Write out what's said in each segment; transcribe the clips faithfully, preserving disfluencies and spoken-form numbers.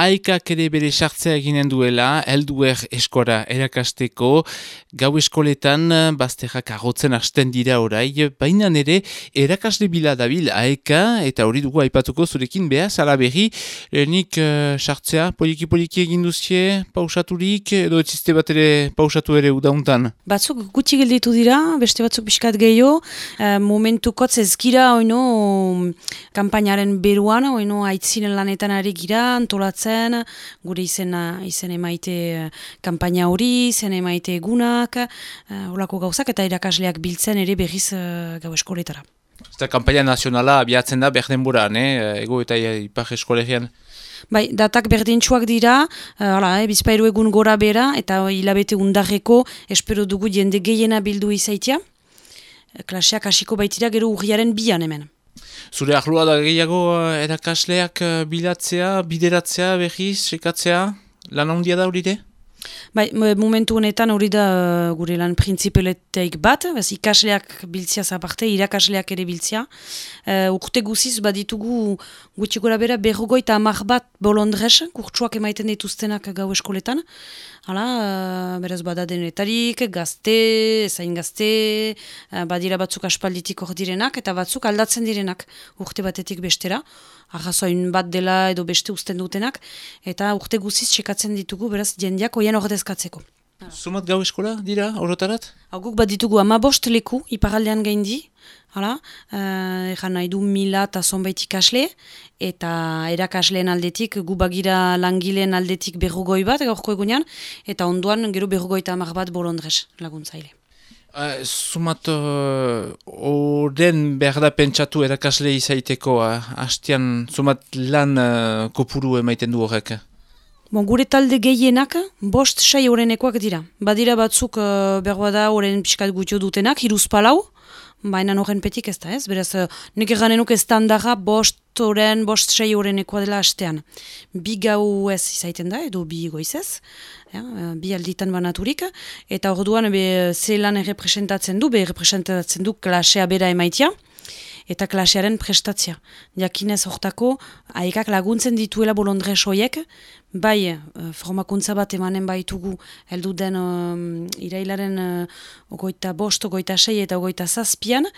Aekak ere bere sartzea eginen duela, helduer eskora erakasteko, gau eskoletan bazterrak agotzen hasten dira orai, baina ere erakasle bila dabil Aeka, eta hori dugu aipatuko zurekin behaz, ala berri, lehenik uh, sartzea, poliki-poliki egin duzie, pausaturik, edo etziste bat ere pausatu ere udauntan? Batzuk gutxi gelditu dira, beste batzuk pixkat gehiago, uh, momentukotz ez gira, oino, kampainaren beruan, oino, aitzinen lanetan ari gira, antolatzen, gure izena, izen emaite kampaina hori, izen emaite egunak, uh, olako gauzak, eta irakasleak biltzen ere berriz uh, gau eskoletara. Eta kampaina nazionala abiatzen da berdenburan, eh? Ego eta ipar eskolegian? Bai, datak berdintxuak dira, uh, hala, eh, bizpairu egun gora bera, eta hilabete undarreko espero dugu jende gehiena bildu izaitia. Klaseak hasiko baitira gero urriaren bian hemen. Zure ahlua da gehiago erakasleak bilatzea, bideratzea, behiz, sekatzea, lan handia da hori de? Bai, momentu honetan hori da uh, gure lan printzipeleteik bat, bez, ikasleak biltzia zaparte, irakasleak ere biltzia. Uh, urte guziz baditugu gutxi gora bera berrogoita hamar bat bolondrez, kurtsuak emaiten dituztenak gau eskoletan. Hala, uh, beraz bada denetarik, gazte, ezain gazte, uh, badira batzuk aspalditik hor direnak, eta batzuk aldatzen direnak urte batetik bestera. Arrazoin bat dela edo beste uzten dutenak, eta urte guziz txekatzen ditugu, beraz, jendeak oien ordezkatzeko. Zumat gau eskola dira, orotarat? Guk bat ditugu amabost leku, iparaldean gaindi, hala, uh, egan nahi du mila eta zonbait ikasle, eta erakasleen aldetik, gu bagira langileen aldetik berrogoi bat, gaurko egunean, eta ondoan gero berrogoi eta hamar bat bolondrez laguntzaile. Uh, Zumat horren uh, behar da pentsatu erakasle izaiteko, uh, hastian zumat lan uh, kopuru emaiten du horrek? Bon, gure talde gehienak bost sei horrenekoak dira. Badira batzuk uh, berroa da horren pixkat gutio dutenak, hiruz palau, baina horren petik ez da ez. Beraz, uh, nik eganenuk estandarra bost horren, bost sei horrenekoa dela hastean. Bi gau ez izaiten da, edo bi goizez. Ja, bi alditan banaturik, eta orduan be zelan errepresentatzen du, be errepresentatzen du klasea bera emaitia, eta klasearen prestatzia. Jakinez hortako, Aekak laguntzen dituela bolondrez hoiek, bai formakuntza bat emanen baitugu heldu den um, irailaren uh, ogoita bost, ogoita sei eta ogoita zazpian,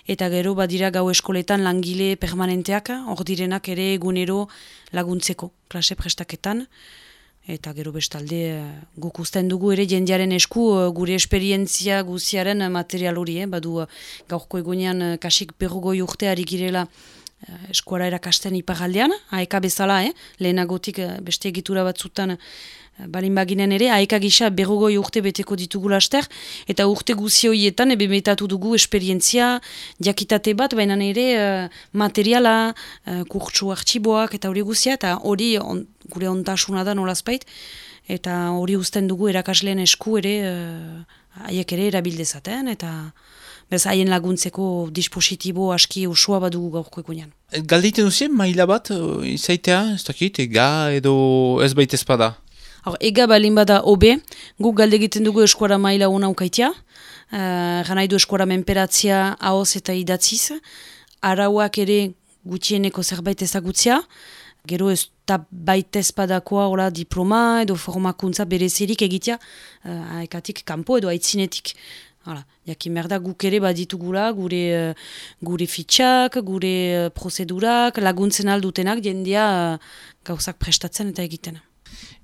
eta gero badira gau eskoletan langile permanenteak, hor direnak ere egunero laguntzeko klase prestaketan. Eta gero bestalde guk usten dugu ere jendearen esku gure esperientzia guziaren material hori, eh? Badu gaurko egunean kasik berrogoi urteari girela eskuara erakasten iparaldean, Aeka bezala, eh? Lehenagotik beste egitura batzutan balin baginen ere, Aeka gisa berrogoi urte beteko ditugu laster, eta urte guzi horietan ebe metatu dugu esperientzia, jakitate bat, baina ere uh, materiala, uh, kurtsu artxiboak eta hori guzia, eta hori on, gure ontasuna da nolazpait, eta hori uzten dugu erakasleen esku ere, haiek uh, ere erabildezaten, eta bez haien laguntzeko dispositibo aski usua badugu gaurko egunean. Galdeiten duzien maila bat, izaitea, ez dakit, ega edo ez baita espada? Hor, ega balin bada obe, guk galde egiten dugu eskuara maila ona ukaitia, uh, gana idu eskuara menperatzia ahoz eta idatziz, arauak ere gutxieneko zerbait ezagutzia, gero ez da baita espadakoa hola diploma edo formakuntza berezirik egitea, uh, Aekatik kanpo edo aitzinetik. Hala, jakin behar da guk ere baditugula, gure, uh, gure fitxak, gure uh, prozedurak, laguntzen aldutenak, jendea uh, gauzak prestatzen eta egiten.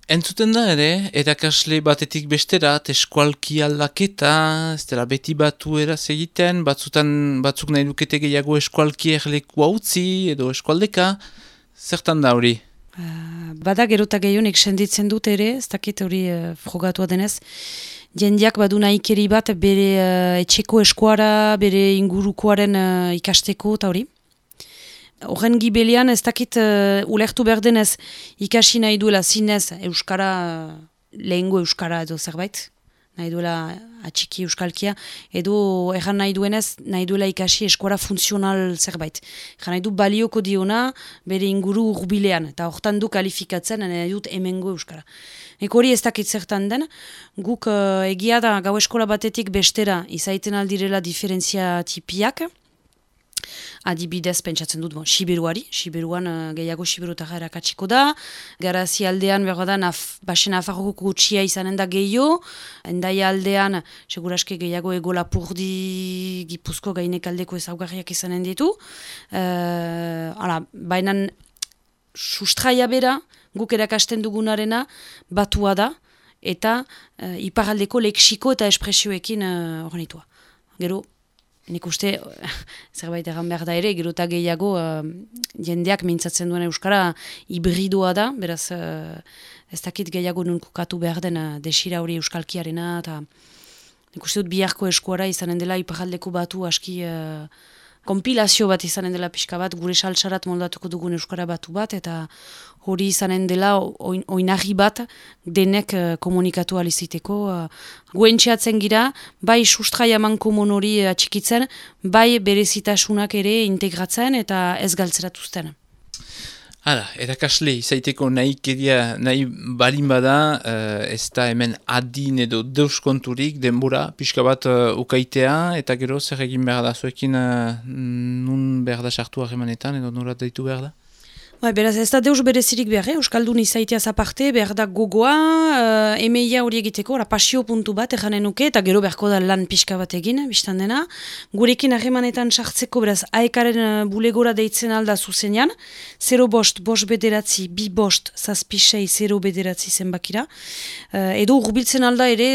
Entzuten da ere, erakasle batetik besterat, eskualki aldaketa, ez dela beti batu eraz egiten, batzutan batzuk nahi dukete gehiago eskualki erleku hautzi edo eskualdeka, zertan da hori? Uh, bada gerota gehionek senditzen dut ere, ez dakit hori uh, frogatua denez, jendeak badu nahikeri bat bere uh, etxeko eskuara, bere ingurukoaren uh, ikasteko eta hori. Horren gibelian ez dakit uh, ulertu behar denez ikasi nahi duela zinez euskara, uh, lehengo euskara edo zerbait, nahi duela atxiki euskalkia, edo erran nahi duenez nahi duela ikasi eskuara funtzional zerbait. Erran nahi du balioko diona bere inguru urbilean, eta hortan du kalifikatzen nahi dut hemengo euskara. Eko hori ez dakit zertan den, guk uh, egia da gau eskola batetik bestera izaiten aldirela diferentzia tipiak, adibidez pentsatzen dut, bon, Siberuari, Siberuan uh, gehiago Siberutara erakatsiko da, Garazi aldean behar da, naf, basen afarroko gutxia izanen da gehiago, Endaia aldean, seguraski gehiago ego Lapurdi, Gipuzko gainek aldeko ezaugarriak izanen ditu, uh, ala, bainan sustraia bera, guk erakasten dugunarena, batua da, eta uh, iparaldeko leksiko eta espresioekin hornitua. Uh, Gero, nik uste, zerbait egan behar da ere, gero eta gehiago uh, jendeak mintzatzen duen euskara hibridoa da, beraz uh, ez dakit gehiago nunkukatu behar den uh, desira hori euskalkiarena, eta nik uste dut biharko eskuara izanen dela iparaldeko batu aski uh, kompilazio bat izanen dela pixka bat, gure saltsarat moldatuko dugun euskara batu bat, eta hori izanen dela oin, oinarri bat denek uh, komunikatu aliziteko. Uh, Guentxeatzen gira, bai sustraia mankomon hori atxikitzen, bai berezitasunak ere integratzen eta ez galtzeratuzten. Hala, erakasle izaiteko nahi kedia, nahi balin bada, uh, ez da hemen adin edo deuskonturik denbora, pixka bat uh, ukaitea, eta gero zer egin behar da, zuekin uh, nun behar da sartu harremanetan, edo norat daitu behar da? Ba, beraz, ez da deus berezirik behar, eh? Euskaldun izaiteaz aparte, behar da gogoa, uh, emeia hori egiteko, ora pasio puntu bat erranen nuke, eta gero beharko da lan pixka bat egin, biztan dena. Gurekin harremanetan sartzeko, beraz, aekaren uh, bulegora deitzen alda zuzenean, zero bost, bost bederatzi, bi bost, zazpisei, zero bederatzi zenbakira. Uh, edo urbiltzen alda ere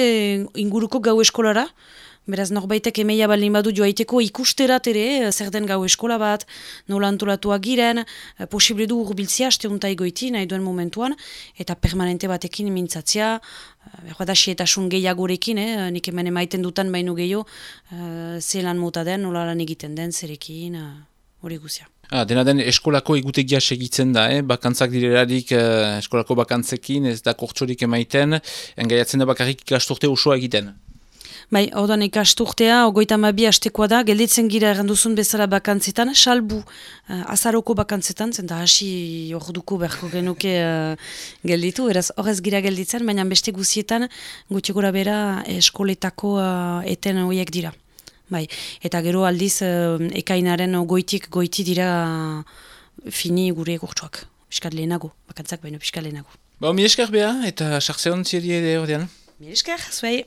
inguruko gau eskolara, beraz, norbaitek emeia baldin badu joaiteko ikusterat ere, zer den gau eskola bat, nola antolatuak giren, posible du urbiltzia, aste unta egoiti, nahi duen momentuan, eta permanente batekin mintzatzia, behar da sietasun gehiagorekin, eh? Nik hemen emaiten dutan baino gehiago, uh, zelan mota den, nola lan egiten den, zerekin, hori uh, guzia. Ah, dena den eskolako egutegia segitzen da, eh? Bakantzak direlarik eh, eskolako bakantzekin, ez da kortsorik emaiten, engaiatzen da bakarrik ikasturte osoa egiten. Bai, ordan ikasturtea, ogoita mabi hastekoa da, gelditzen gira erranduzun bezala bakantzetan, salbu uh, azaroko bakantzetan, zenta hasi orduko beharko genuke uh, gelditu, eraz horrez gira gelditzen, baina beste guzietan gutxi gora bera eskoletako uh, eten horiek dira. Bai, eta gero aldiz uh, ekainaren goitik goiti dira uh, fini gure gurtsuak, piskat lehenago, bakantzak baino piskat lehenago. Ba, mi esker beha, eta sartze hon ziedi ere ordean. Mi esker, zuei.